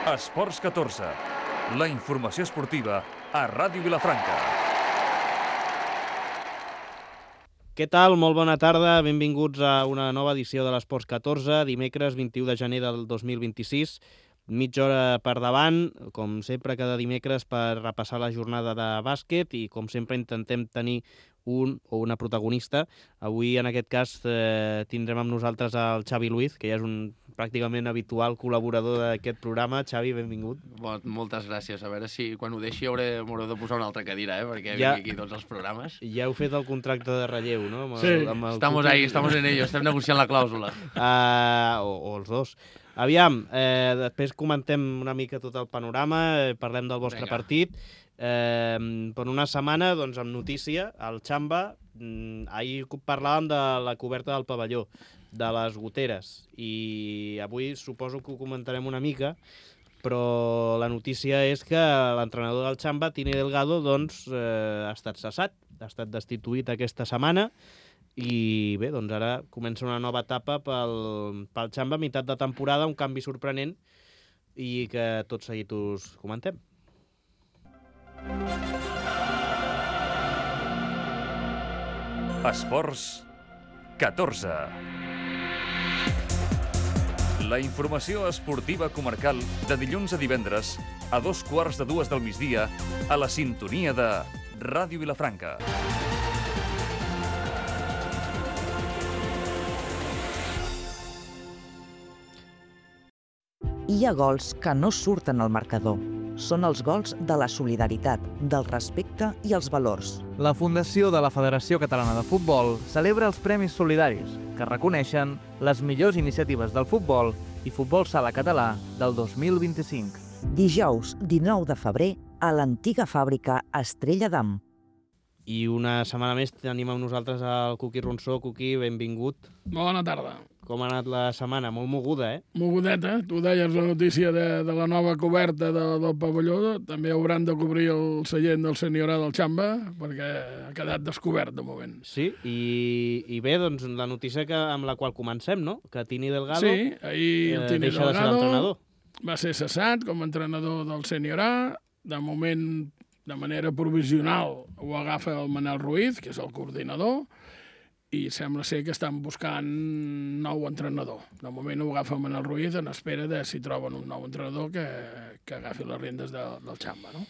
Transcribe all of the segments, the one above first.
Esports 14, la informació esportiva a Ràdio Vilafranca. Què tal? Molt bona tarda, benvinguts a una nova edició de l'Esports 14, dimecres 21 de gener del 2026. Mitja hora per davant, com sempre cada dimecres per repassar la jornada de bàsquet i com sempre intentem tenir un o una protagonista. Avui en aquest cas tindrem amb nosaltres el Xavi Luiz, que ja és un pràcticament habitual col·laborador d'aquest programa. Xavi, benvingut. Moltes gràcies. A veure si quan ho deixi m'hauré de posar una altra cadira, perquè ja, vinc aquí tots els programes. Ja heu fet el contracte de relleu, no? Estamos en ello, estem negociant la clàusula. O els dos. Aviam, després comentem una mica tot el panorama, parlem del vostre partit. Per una setmana, doncs, amb notícia, el Xamba, ahir parlàvem de la coberta del pavelló, de les goteres, i avui suposo que ho comentarem una mica, però la notícia és que l'entrenador del Xamba, Tini Delgado, doncs, ha estat cessat, ha estat destituït aquesta setmana, i bé, doncs ara comença una nova etapa pel Xamba, meitat de temporada, un canvi sorprenent, i que tot seguit us comentem. Esports 14. La informació esportiva comarcal de dilluns a divendres a 2:15 del migdia a la sintonia de Ràdio Vilafranca. Hi ha gols que no surten al marcador. Són els gols de la solidaritat, del respecte i els valors. La Fundació de la Federació Catalana de Futbol celebra els Premis Solidaris, que reconeixen les millors iniciatives del futbol i futbol sala català del 2025. Dijous, 19 de febrer, a l'antiga fàbrica Estrella d'Am. I una setmana més tenim amb nosaltres el Cuqui Ronsó. Cuqui, benvingut. Bona tarda. Com ha anat la setmana? Molt moguda, eh? Mogudeta. Tu deies la notícia de la nova coberta del pavelló. També hauran de cobrir el seient del senyor del Xamba, perquè ha quedat descobert de moment. Sí, i bé, doncs la notícia amb la qual comencem, no? Que Tini Delgado ahir el Tini deixa de ser l'entrenador. Va ser cessat com a entrenador del Sènior A. De moment, de manera provisional, ho agafa el Manel Ruiz, que és el coordinador, i sembla ser que estan buscant nou entrenador. De moment ho agafa el Manel Ruiz en espera de si troben un nou entrenador que agafi les rendes del Xamba, no?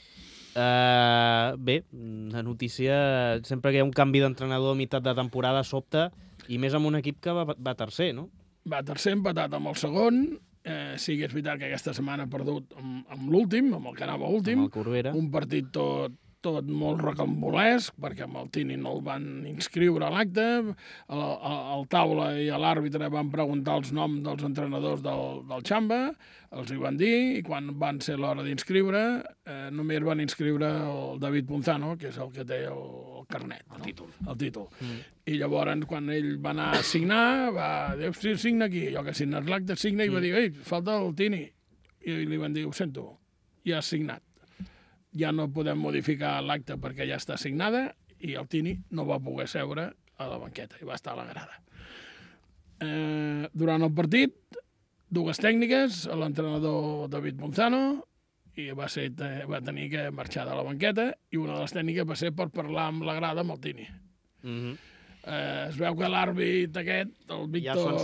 Bé, la notícia, sempre que hi ha un canvi d'entrenador a meitat de temporada sobta, i més amb un equip que va tercer, no? Va tercer, empatat amb el segon. Sí que és veritat que aquesta setmana ha perdut amb l'últim, amb el que anava últim. Amb el Corbera. Un partit tot molt rocambolesc, perquè amb el Tini no el van inscriure a l'acte. Al taula i a l'àrbitre van preguntar els noms dels entrenadors del Xamba, els hi van dir, i quan van ser l'hora d'inscriure, només van inscriure el David Punzano, que és el que té el carnet, no? El títol. I llavors, quan ell va anar a signar, va dir, sí, signa aquí. Jo que signes l'acte, signa, i va dir, ei, falta el Tini. I li van dir, ho sento, ja has signat. Ja no podem modificar l'acte perquè ja està signada, i el Tini no va poder seure a la banqueta, i va estar a la grada. Durant el partit, dues tècniques, l'entrenador David Punzano, i va tenir que marxar de la banqueta, i una de les tècniques va ser per parlar amb la grada amb el Tini. Es veu que l'àrbit aquest, el Víctor,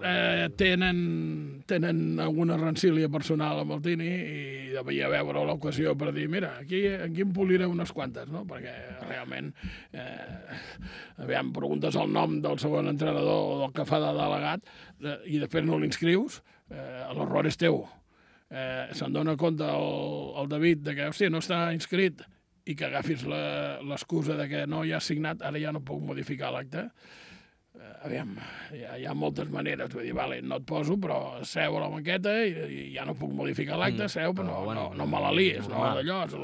ja tenen alguna rancília personal amb el Tini, i devia veure l'ocasió per dir, mira, aquí em poliré unes quantes, no? Perquè realment, preguntes el nom del segon entrenador o del que fa de delegat, i després no l'inscrius, l'error és teu. Se'n dona compte el David de que, hòstia, no està inscrit, i que agafis l'excusa de que no, ja has signat, ara ja no puc modificar l'acte. Aviam, hi ha moltes maneres. Vull dir, vale, no et poso, però seu a la banqueta i ja no puc modificar l'acte, seu, però no me la lies, no d'allò. És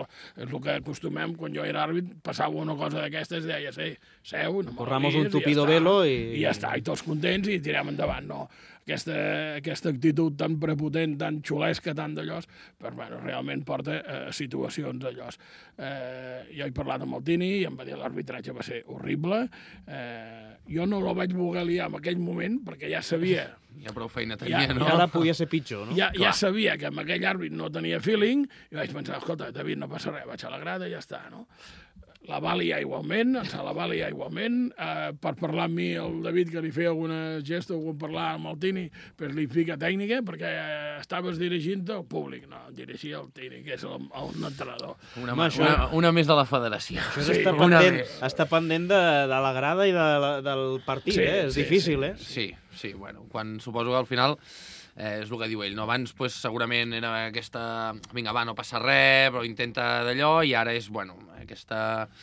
el que acostumem, quan jo era àrbit, passava una cosa d'aquestes i deia, seu, no me la lies, corramos un tupido velo i ja està, i tots contents i tirem endavant, no? Aquesta actitud tan prepotent, tan xulesca, tan d'allòs, però bueno, realment porta situacions d'allòs. Jo he parlat amb el Tini i em va dir l'arbitratge va ser horrible. Jo no lo el vaig voler liar en aquell moment, perquè ja sabia... Ja prou feina tenia, no? I ara podia ser pitjor, no? Ja sabia que amb aquell àrbit no tenia feeling, i vaig pensar, escolta, David, no passa res, vaig a la grada i ja està, no? La va liar igualment, per parlar amb mi el David, que li feia alguna gesta, algun parlar amb el Tini, per li fica tècnica, perquè estaves dirigint el públic, no, dirigia el Tini, que és l'entrenador. Una més de la federació. Això està pendent de la grada i del partit, és difícil, eh? Sí, bueno, suposo que al final... és el que diu ell, no? Abans segurament era aquesta... Vinga, va, no passa res, però intenta d'allò, i ara és, bueno, aquesta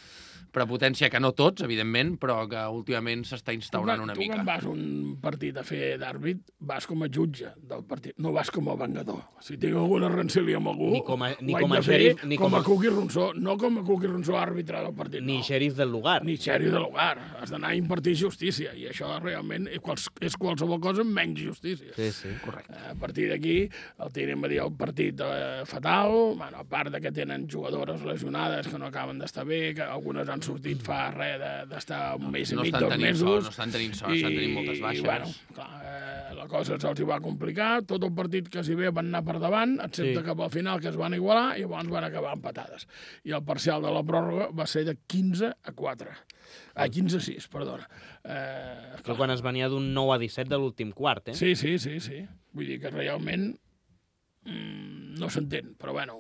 prepotència que no tots, evidentment, però que últimament s'està instaurant una mica. Tu quan vas a un partit a fer d'àrbit, vas com a jutge del partit, no vas com a vengador. Si tinc alguna rencília amb algú, com a Cuqui Ronsó, no com a Cuqui Ronsó àrbitre del partit. Ni xèrif del lugar. Ni xèrif del lugar. Has d'anar a impartir justícia, i això realment és qualsevol cosa menys justícia. Sí, correcte. A partir d'aquí, el Tini em va dir el partit fatal, bueno, a part que tenen jugadores lesionades que no acaben d'estar bé, que algunes han sortit fa res d'estar un mes i mig, 2 mesos. No estan tenint sort, estan tenint moltes baixes. I, bueno, clar, la cosa se'ls va complicar, tot el partit que s'hi ve van anar per davant, excepte cap al final, que es van igualar, i llavors van acabar empatades. I el parcial de la pròrroga va ser de 15-4. 15-6, perdona. Però quan es venia d'un 9-17 de l'últim quart, eh? Sí. Vull dir que realment no s'entén, però bueno,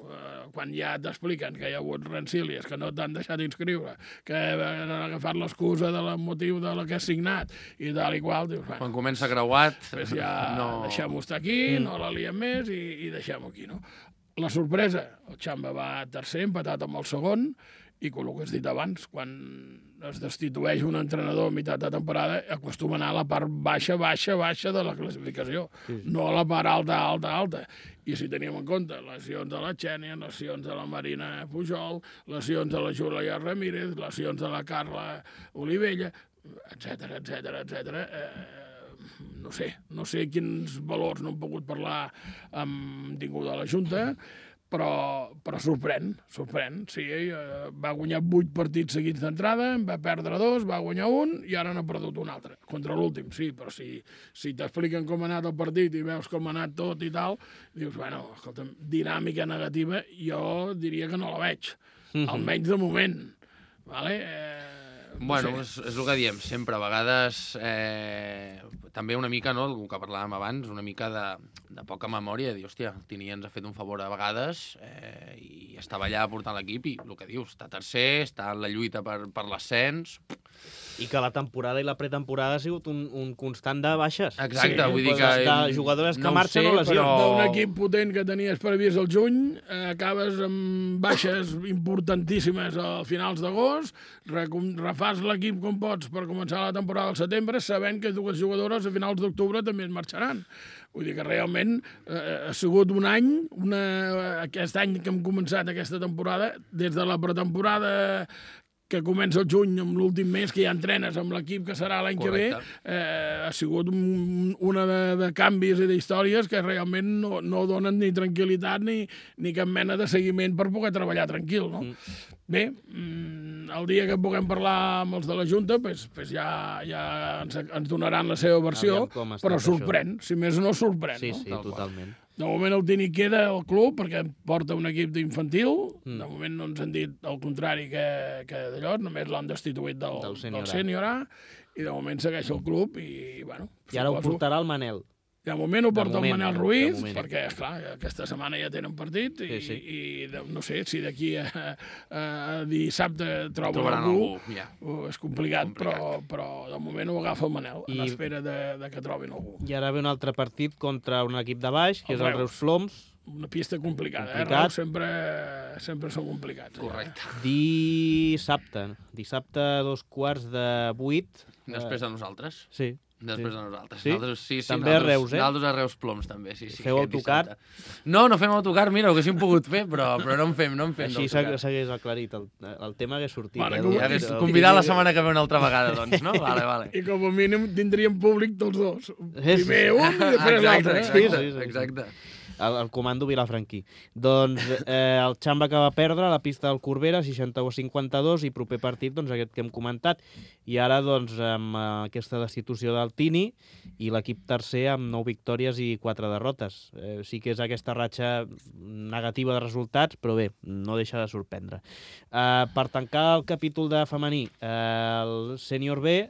quan ja t'expliquen que hi ha hagut rencílies, que no t'han deixat inscriure, que han agafat l'excusa del motiu de la que has signat i tal i qual, dius, bueno, quan comença creuat... Pues ja deixem-ho estar aquí, no la liem més i deixem-ho aquí, no? La sorpresa, el Xamba va tercer, empatat amb el segon, i com el que has dit abans, quan es destitueix un entrenador a meitat de temporada, acostuma a anar a la part baixa de la classificació, no a la part alta. I si teníem en compte lesions de la Xènia, lesions de la Marina Pujol, lesions de la Júlia Ramírez, lesions de la Carla Olivella, etc. No sé quins valors no hem pogut parlar amb ningú de la Junta, però sorprèn, sí. Va guanyar 8 partits seguits d'entrada, en va perdre 2, va guanyar 1 i ara n'ha perdut un altre. Contra l'últim, sí, però si t'expliquen com ha anat el partit i veus com ha anat tot i tal, dius, bueno, escolta'm, dinàmica negativa, jo diria que no la veig, almenys de moment. Vale? Bueno, és el que diem sempre, a vegades també una mica, no, el que parlàvem abans, una mica de poca memòria, dir, hòstia, el Tini ens ha fet un favor a vegades i estava allà portant l'equip i el que dius, està tercer, està en la lluita per l'ascens. I que la temporada i la pretemporada ha sigut un constant de baixes. Exacte, vull dir que... De jugadores que marxen o lesions. D'un equip potent que tenies previst el juny, acabes amb baixes importantíssimes a finals d'agost, refas l'equip com pots per començar la temporada al setembre, sabent que 2 jugadores a finals d'octubre també es marxaran. Vull dir que realment ha sigut un any, aquest any que hem començat aquesta temporada, des de la pretemporada que comença el juny, amb l'últim mes que ja entrenes amb l'equip que serà l'any que ve, ha sigut una de canvis i d'històries que realment no donen ni tranquil·litat ni cap mena de seguiment per poder treballar tranquil, no? Bé, el dia que puguem parlar amb els de la Junta, ja ens donaran la seva versió, però sorprèn, si més no sorprèn. Sí, totalment. De moment el Tini queda al club perquè porta un equip d'infantil. De moment no ens han dit el contrari que d'allò, només l'han destituït del sènior A, i de moment segueix el club i, bueno... I ara ho portarà el Manel. De moment ho porta el Manel Ruiz, perquè, esclar, aquesta setmana ja tenen partit i no sé, si d'aquí a dissabte troben algú, és complicat, però de moment ho agafa el Manel, en espera de que trobin algú. I ara ve un altre partit contra un equip de baix, que és el Reus Ploms. Una pista complicada, Reus sempre són complicats. Correcte. Dissabte, 2:15. Després de nosaltres. Sí. Després de nosaltres. Sí? També a Reus, eh? Nosaltres a Reus Ploms, també, sí. Feu autocar? No fem autocar, mira, ho haguéssim pogut fer, però no en fem Així s'hagués aclarit, el tema hagués sortit. Convidar la setmana que ve una altra vegada, doncs, no? Vale. I com a mínim tindríem públic tots dos. Primer un i després l'altre. Exacte. el comando vilafranquí. Doncs el Xamba que va perdre a la pista del Corbera, 61-52, i proper partit, doncs aquest que hem comentat. I ara, doncs, amb aquesta destitució del Tini i l'equip tercer amb 9 victòries i 4 derrotes. Sí que és aquesta ratxa negativa de resultats, però bé, no deixa de sorprendre. Per tancar el capítol de femení, el sènior B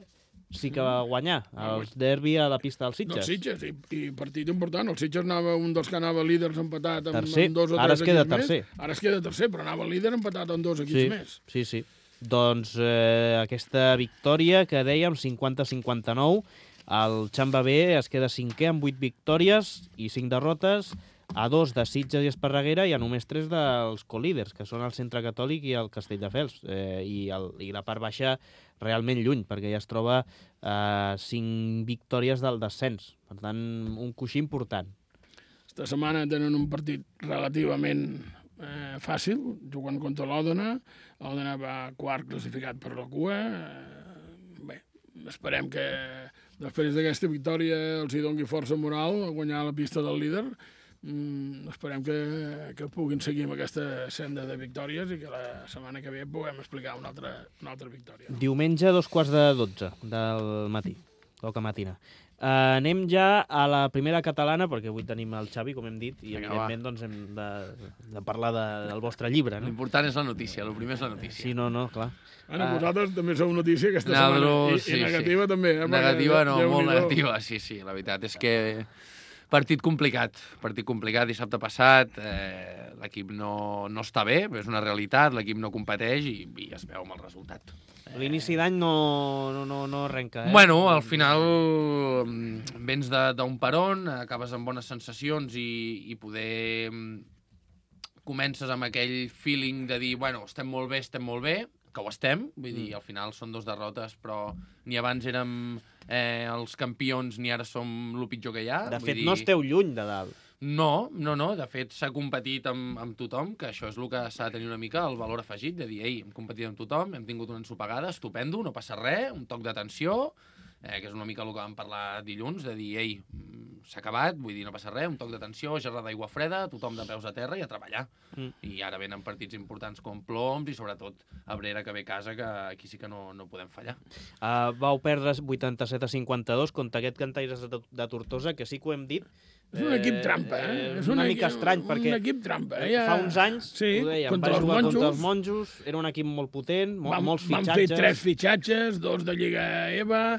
sí que va guanyar el derbi a la pista dels Sitges. Dels Sitges, i partit important. El Sitges anava un dels que anava líders empatat amb tercer. Amb 2 o 3 Ara es queda equips tercer. més. Ara es queda tercer, però anava líder empatat amb 2 equips més. Sí. Doncs aquesta victòria que dèiem, 50-59, el Xamba B es queda cinquè amb 8 victòries i 5 derrotes, a 2 de Sitges i Esparreguera i a només 3 dels colíders, que són el Centre Catòlic i el Castelldefels. I la part baixa realment lluny, perquè ja es troba 5 victòries del descens. Per tant, un coixí important. Esta setmana tenen un partit relativament fàcil, jugant contra l'Òdena. L'Òdena va quart classificat per la cua. Bé, esperem que després d'aquesta victòria els hi doni força moral a guanyar la pista del líder. Esperem que puguin seguir amb aquesta senda de victòries i que la setmana que ve puguem explicar una altra victòria. Diumenge, 12:45 del matí, toca matina. Anem ja a la primera catalana, perquè avui tenim el Xavi, com hem dit, i evidentment doncs, hem de parlar del vostre llibre. No? L'important és la notícia, el primer és la notícia. Sí, no, clar. Vosaltres també sou notícia aquesta setmana, i negativa també. Negativa no, molt negativa, sí. La veritat és que partit complicat, dissabte passat, l'equip no està bé, és una realitat, l'equip no competeix i es veu amb el resultat. L'inici d'any no arrenca, Bueno, al final vens d'un peron, acabes amb bones sensacions i poder comences amb aquell feeling de dir, bueno, estem molt bé, que ho estem, vull dir, al final són 2 derrotes, però ni abans érem els campions ni ara som el pitjor que hi ha. De fet, no esteu lluny de dalt. No, de fet s'ha competit amb tothom, que això és el que s'ha de tenir una mica el valor afegit, de dir, hem competit amb tothom, hem tingut una ensopegada, estupendo, no passa res, un toc d'atenció, que és una mica el que vam parlar dilluns, de dir, s'ha acabat, vull dir, no passa res, un toc d'atenció, gerra d'aigua freda, tothom de peus a terra i a treballar. I ara venen partits importants com Ploms i sobretot Abrera, que ve a casa, que aquí sí que no podem fallar. Vau perdre 87-52 contra aquest Cantaires de Tortosa, que sí que ho hem dit. És un equip trampa, És una mica estrany, perquè un equip trampa. Fa uns anys, ho dèiem, va jugar contra els monjos, era un equip molt potent, molts fitxatges. Van fer 3 fitxatges, 2 de Lliga EVA,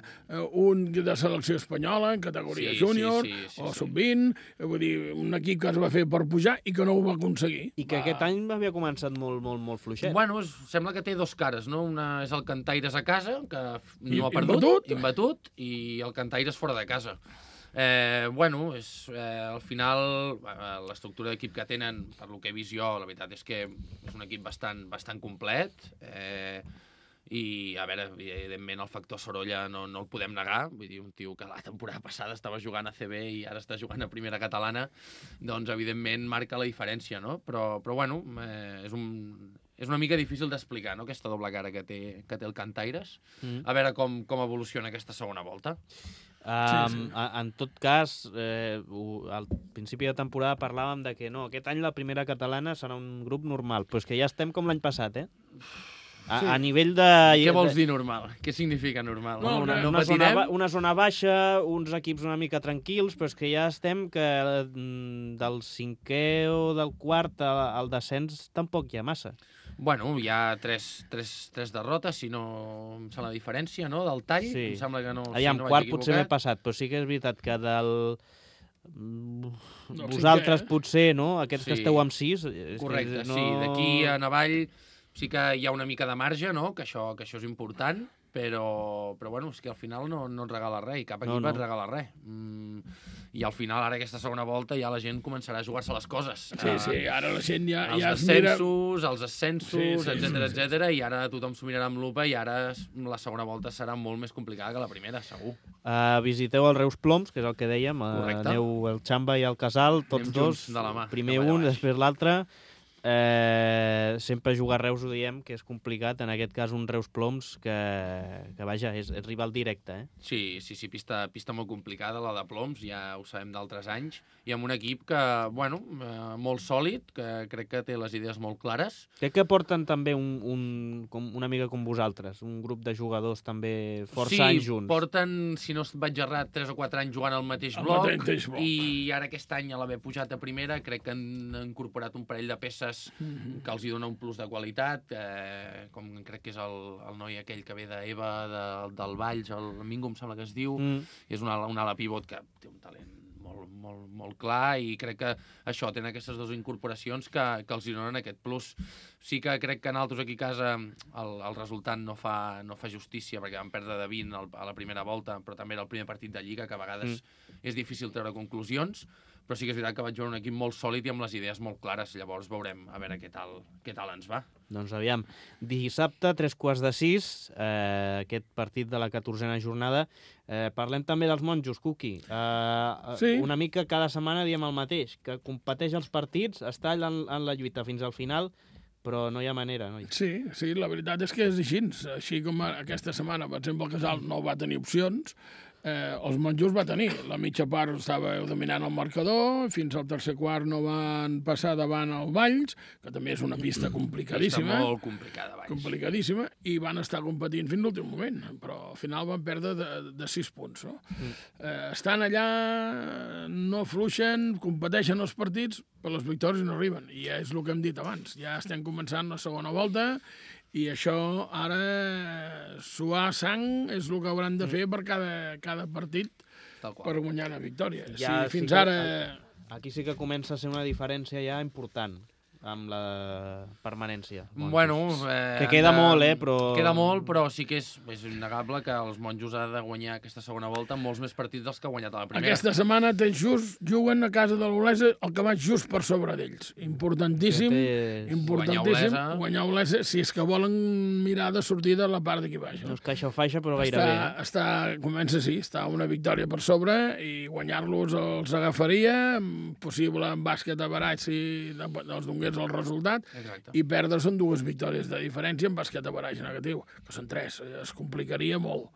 un de selecció espanyola en categoria júnior o sub-20, vull dir, un equip que es va fer per pujar i que no ho va aconseguir. I que aquest any havia començat molt fluixet. Bueno, sembla que té 2 cares, no? Una és el Cantaires a casa, que no ha perdut, imbatut, i el Cantaires fora de casa. Al final, l'estructura d'equip que tenen, per lo que he vist jo, la veritat és que és un equip bastant complet, i, a veure, evidentment el factor Sorolla no el podem negar, vull dir, un tio que la temporada passada estava jugant a CB i ara està jugant a Primera Catalana, doncs evidentment marca la diferència, no? Però bueno, és una mica difícil d'explicar, no?, aquesta doble cara que té el Cantaires. A veure com evoluciona aquesta segona volta. En tot cas, al principi de temporada parlàvem de que no, aquest any la Primera Catalana serà un grup normal, però és que ja estem com l'any passat, A nivell de... Què vols dir normal? Què significa normal? Una zona baixa, uns equips una mica tranquils, però és que ja estem que del 5è o del 4 al descens tampoc hi ha massa. Bueno, hi ha tres derrotes, si no em sembla la diferència, no?, del tall. Sí. Em sembla que no... Allà en quart potser m'he passat, però sí que és veritat que vosaltres potser, no?, aquests que esteu amb 6... Correcte, sí, d'aquí a avall sí que hi ha una mica de marge, no?, que això és important, però bueno, és que al final no et regala res, i cap equip et regala res. I al final, ara aquesta segona volta, ja la gent començarà a jugar-se les coses. Sí, ara la gent ja els descensos, els ascensos, etcètera, i ara tothom s'ho mirarà amb lupa, i ara la segona volta serà molt més complicada que la primera, segur. Visiteu el Reus Ploms, que és el que dèiem, aneu el Xamba i el Casal, tots dos, primer un, després l'altre. sempre jugar a Reus ho diem, que és complicat, en aquest cas un Reus Ploms que vaja, és rival directe. Sí, pista molt complicada, la de Ploms, ja ho sabem d'altres anys, i amb un equip que, bueno, molt sòlid, que crec que té les idees molt clares. Crec que porten també una mica com vosaltres, un grup de jugadors també força anys junts. Sí, porten, si no vaig errat, 3 o 4 anys jugant al mateix bloc, i ara aquest any, a l'haver pujat a primera, crec que han incorporat un parell de peces que els hi dona un plus de qualitat, com crec que és el noi aquell que ve d'Eva, del Valls, el Mingo em sembla que es diu, és un ala pivot que té un talent molt clar, i crec que això, tenen aquestes dues incorporacions que els donen aquest plus. Sí que crec que en altres aquí a casa el resultat no fa justícia, perquè van perdre de 20 a la primera volta, però també era el primer partit de Lliga, que a vegades és difícil treure conclusions, però sí que és veritat que vaig veure un equip molt sòlid i amb les idees molt clares. Llavors veurem a veure què tal ens va. Doncs aviam, dissabte, 5:45, aquest partit de la 14a jornada. Parlem també dels monjos, Cuqui. Sí. Una mica cada setmana diem el mateix, que competeix els partits, està en la lluita fins al final, però no hi ha manera. No? Sí, la veritat és que és així. Així com aquesta setmana, per exemple, el Casal no va tenir opcions, els monjos va tenir. La mitja part estava dominant el marcador, fins al tercer quart no van passar davant el Valls, que també és una pista complicadíssima. Pista molt complicada, Valls. Complicadíssima, i van estar competint fins l'últim moment, però al final van perdre de 6 punts. No? Estan allà, no fluixen, competeixen els partits, però les victòries no arriben. I ja és el que hem dit abans. Ja estem començant la segona volta, i això ara, suar sang, és el que hauran de fer per cada partit per guanyar una victòria. Ja, sí, fins ara... Aquí sí que comença a ser una diferència ja important amb la permanència. Bueno, que queda molt, però... Queda molt, però sí que és innegable que els monjos han de guanyar aquesta segona volta molts més partits dels que ha guanyat a la primera. Aquesta setmana juguen a casa de l'Olesa el que va just per sobre d'ells. Importantíssim, guanyar Olesa, si és que volen mirar de sortir de la part d'aquí baix. No és caixa o faixa, però gairebé. Comença així, està una victòria per sobre, i guanyar-los els agafaria, possible en bàsquet a barat si els dongués el resultat. Exacte. I perdre són 2 victòries de diferència en bàsquet a baratge negatiu, que són 3. Es complicaria molt.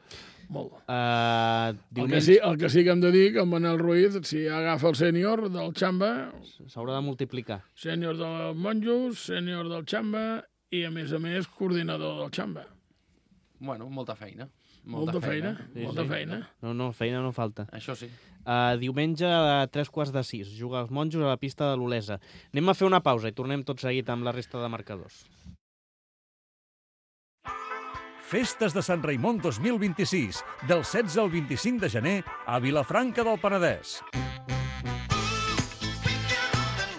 El que sí que hem de dir que en Manel Ruiz, si agafa el sènior del Xamba... S'haurà de multiplicar. Sènior del Monjos, sènior del Xamba i, a més, Coordinador del Xamba. Bueno, molta feina. Molta feina. No, feina no falta. Això sí. Diumenge a 5:45 juga els monjos a la pista de l'Olesa. Anem a fer una pausa i tornem tot seguit amb la resta de marcadors. Festes de Sant Raimon 2026, del 16 al 25 de gener a Vilafranca del Penedès.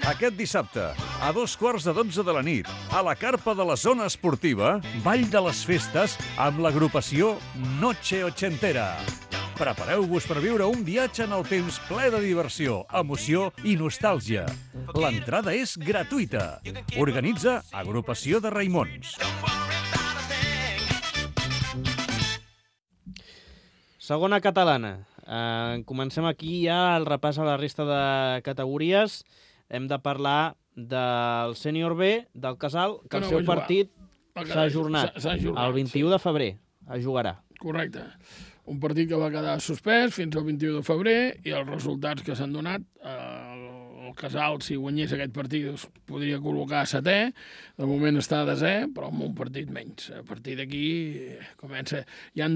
Aquest dissabte, a 2:15 de la nit, a la carpa de la zona esportiva, Ball de les Festes amb l'agrupació Noche Ochentera. Prepareu-vos per viure un viatge en el temps ple de diversió, emoció i nostàlgia. L'entrada és gratuïta. Organitza Agrupació de Raimons. Segona catalana. Comencem aquí ja el repàs a la resta de categories. Hem de parlar del sènior B, del Casal, que el seu partit s'ha ajornat. El 21 de febrer es jugarà. Correcte. Un partit que va quedar suspès fins al 21 de febrer, i els resultats que s'han donat, el Casal, si guanyés aquest partit, es podria col·locar a 7è. De moment està a 10è, però amb un partit menys. A partir d'aquí comença... Hi ha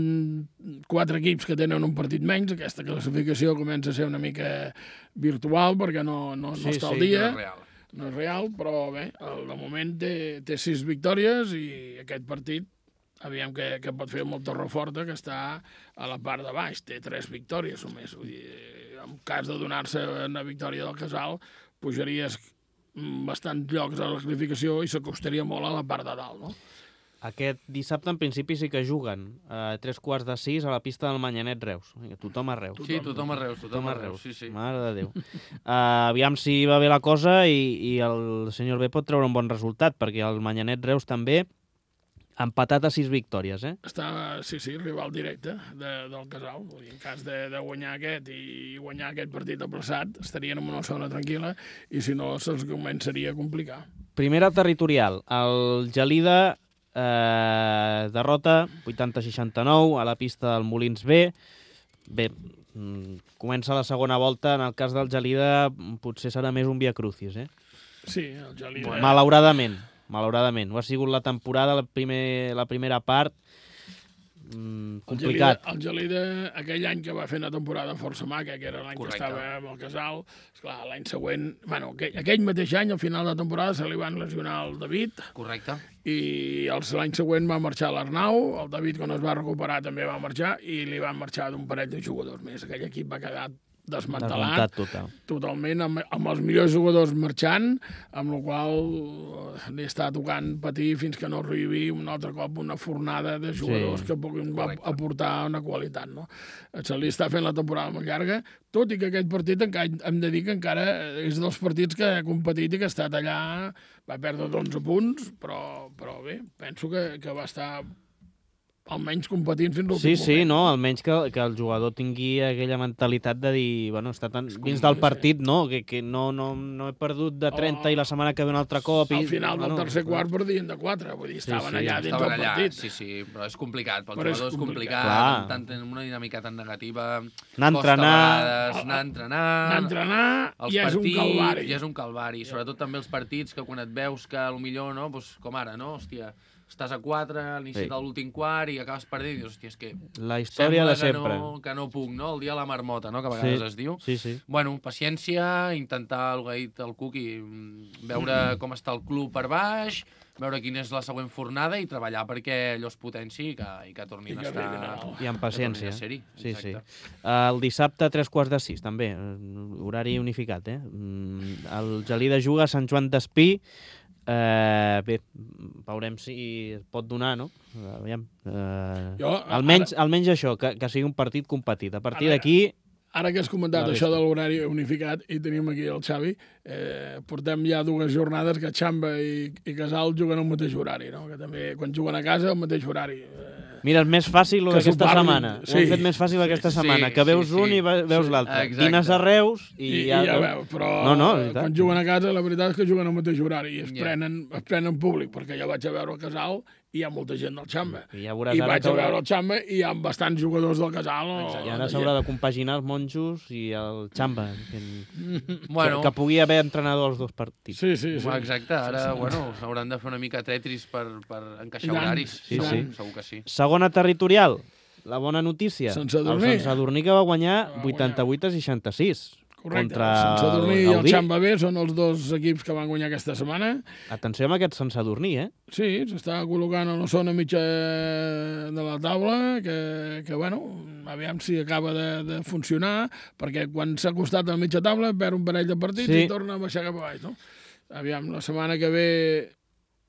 4 equips que tenen un partit menys. Aquesta classificació comença a ser una mica virtual, perquè no està al dia. No és real, però bé, de moment té 6 victòries, i aquest partit aviam que pot fer molt Torreforta, que està a la part de baix, té 3 victòries només. Vull dir, en cas de donar-se una victòria del Casal, pujaries bastants llocs a la classificació i s'acostaria molt a la part de dalt, no? Aquest dissabte, en principi, sí que juguen a 5:45 a la pista del Manyanet Reus. Tothom a Reus. Sí, tothom a Reus. Sí. Mare de Déu. Aviam si va bé la cosa i el senyor B pot treure un bon resultat, perquè el Manyanet Reus també empatat a 6 victòries, Està, sí, rival directe del Casal. En cas de guanyar aquest i guanyar aquest partit aplaçat, estarien en una zona tranquil·la, i si no, se'ls començaria a complicar. Primera territorial. El Gelida derrota 80-69 a la pista del Molins B. Bé, comença la segona volta. En el cas del Gelida potser serà més un via crucis, eh? Sí, el Gelida... Malauradament. Ho ha sigut la temporada, la primera part, complicat. El Gelida, aquell any que va fer una temporada força maca, que era l'any que Correcte. estava amb el Casal, esclar, l'any següent... Bueno, aquell mateix any, al final de temporada, se li van lesionar el David, Correcte. i l'any següent va marxar l'Arnau, el David, quan es va recuperar, també va marxar, i li van marxar d'un parell de jugadors més. Aquell equip va quedar desmantelat Total. totalment, amb els millors jugadors marxant, amb la qual li està tocant patir fins que no arribi un altre cop una fornada de jugadors que puguin aportar una qualitat. No? Se li està fent la temporada molt llarga, tot i que aquest partit hem de dir que encara és dels partits que ha competit i que ha estat allà, va perdre 11 punts, però bé, penso que va estar almenys competint fins l'últim moment. Sí, no, almenys que el jugador tingui aquella mentalitat de dir, bueno, està tan dins del partit, no, que no he perdut de 30 i la setmana que ve un altre cop. Al final del tercer quart perdien de 4, vull dir, estaven allà dins del partit. Sí, però és complicat, pel Però jugador és complicat, amb una dinàmica tan negativa, Anar a anar a entrenar, i és un calvari. I és un calvari, sobretot també els partits que quan et veus que potser, no, com ara, no, hòstia, estàs a 4 a l'inici de l'últim quart i acabes perdent i dius, hòstia, és que la història de sempre. Que no puc, no? El dia de la marmota, no? Que a vegades es diu. Sí. Bueno, paciència, intentar, el que ha dit el Cuqui, veure com està el club per baix, veure quina és la següent fornada i treballar perquè allò es potenci i que tornin a estar... I amb paciència. Sí. El dissabte, 5:45, també, horari unificat, eh? El Gelida juga a Sant Joan d'Espí. Bé, veurem si es pot donar, no? Aviam. Almenys això, que sigui un partit competit. A partir d'aquí... Ara que has comentat això de l'horari unificat, i tenim aquí el Xavi, portem ja 2 jornades que Xamba i Casal juguen al mateix horari, no? Que també, quan juguen a casa, al mateix horari. Mira, és més fàcil aquesta setmana. Ho hem fet més fàcil aquesta setmana, que veus un i veus l'altre. Vines a Reus i ja veus. Però quan juguen a casa, la veritat és que juguen al mateix horari i es prenen públic, perquè jo vaig a veure el Casal i hi ha molta gent del Xamba. I vaig a veure el Xamba i hi ha bastants jugadors del Casal. I ara s'haurà de compaginar els monjos i el Xamba. Que pugui haver entrenador als 2 partits. Sí. Exacte, ara hauran de fer una mica Tetris per encaixar horaris. Segur que sí. Segona territorial, la bona notícia. Sant Sadurní. El Sant Sadurní que va guanyar 88-66. Correcte, el Sant Sadurní i el Xamba B són els 2 equips que van guanyar aquesta setmana. Atenció amb aquest Sant Sadurní, eh? Sí, s'està col·locant a la zona mitja de la taula, que bueno, aviam si acaba de funcionar, perquè quan s'ha acostat a la mitja taula perd un parell de partits i torna a baixar cap a baix, no? Aviam, la setmana que ve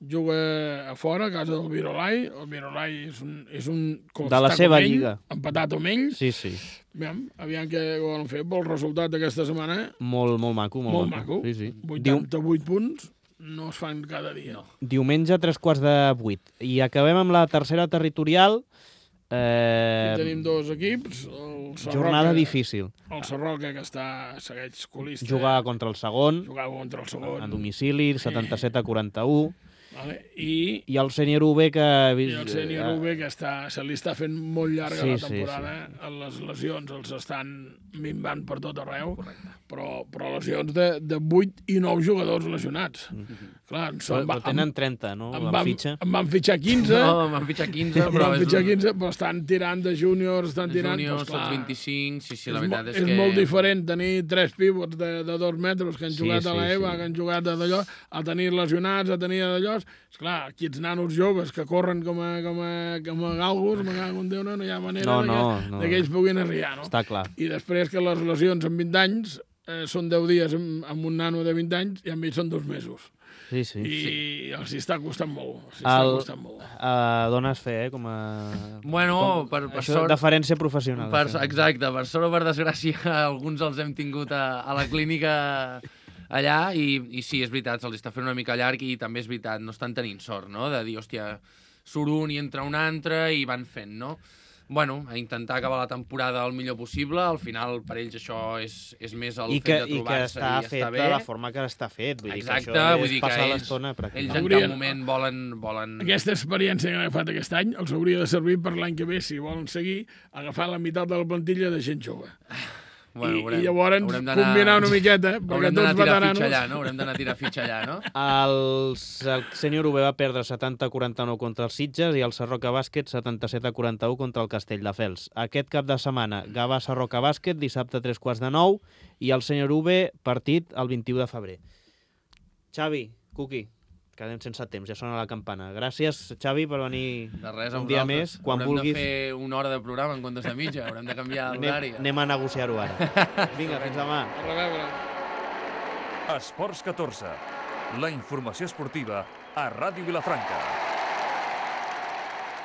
juga a fora, a casa del Virolai. El Virolai és un de la seva lliga. Empatat amb ells. Sí. Aviam què volen fer pel resultat d'aquesta setmana. Molt maco. Molt maco. Sí. 88 punts no es fan cada dia. No. Diumenge, 7:45. I acabem amb la tercera territorial. Aquí tenim 2 equips. Jornada difícil. El Sarroca, que segueix colista. Jugava contra el segon. A domicili, 77-41. Vale. I el sènior UB que... el sènior UB que se li està fent molt llarga la temporada. Les lesions els estan minvant per tot arreu, però lesions de 8 i 9 jugadors lesionats. Clar, tenen 30, no? Em van fitxar 15. No, em van fitxar 15, però estan tirant de júniors, estan tirant... Júniors, els 25, sí, la veritat és que... És molt diferent tenir 3 pivots de 2 metres que han jugat a l'EVA, que han jugat a d'allò, a tenir lesionats, a tenir d'allò. Esclar, aquí els nanos joves que corren com a galgos, me cago en Déu, no hi ha manera que ells puguin arribar, no? Està clar. I després que les lesions amb 20 anys són 10 dies amb un nano de 20 anys i amb ells són 2 mesos. Sí. I els està costant molt. Dones fe, com a... Bueno, per sort... Deferència professional. Exacte, per sort o per desgràcia, alguns els hem tingut a la clínica allà i sí, és veritat, se'ls està fent una mica llarg i també és veritat, no estan tenint sort, no? De dir, hòstia, surt un i entra un altre i van fent, no? bueno, a intentar acabar la temporada el millor possible. Al final, per ells, això és més el fet de trobar-se i està fet de la forma que està fet. Vull Exacte, dir que això vull és dir que passar ells l'estona en cap moment volen... Aquesta experiència que han agafat aquest any els hauria de servir per l'any que ve, si volen seguir, agafar la meitat de la plantilla de gent jove. Bueno, I llavors combinar una miqueta, perquè tots veteranos... Haurem d'anar a tirar fitxa allà, no? El sènior UB va perdre 70-49 contra els Sitges i el Sarroca Bàsquet 77-41 contra el Castelldefels. Aquest cap de setmana, Gavà Sarroca Bàsquet, dissabte 3:45, i el sènior UB partit el 21 de febrer. Xavi, Cuqui, quedem sense temps, ja sona la campana. Gràcies, Xavi, per venir De res, un dia més. Quan vulguis, de fer una hora de programa en comptes de mitja, haurem de canviar l'horari. anem a negociar-ho ara. Vinga, fins demà. A reveure. Esports 14. La informació esportiva a Ràdio Vilafranca.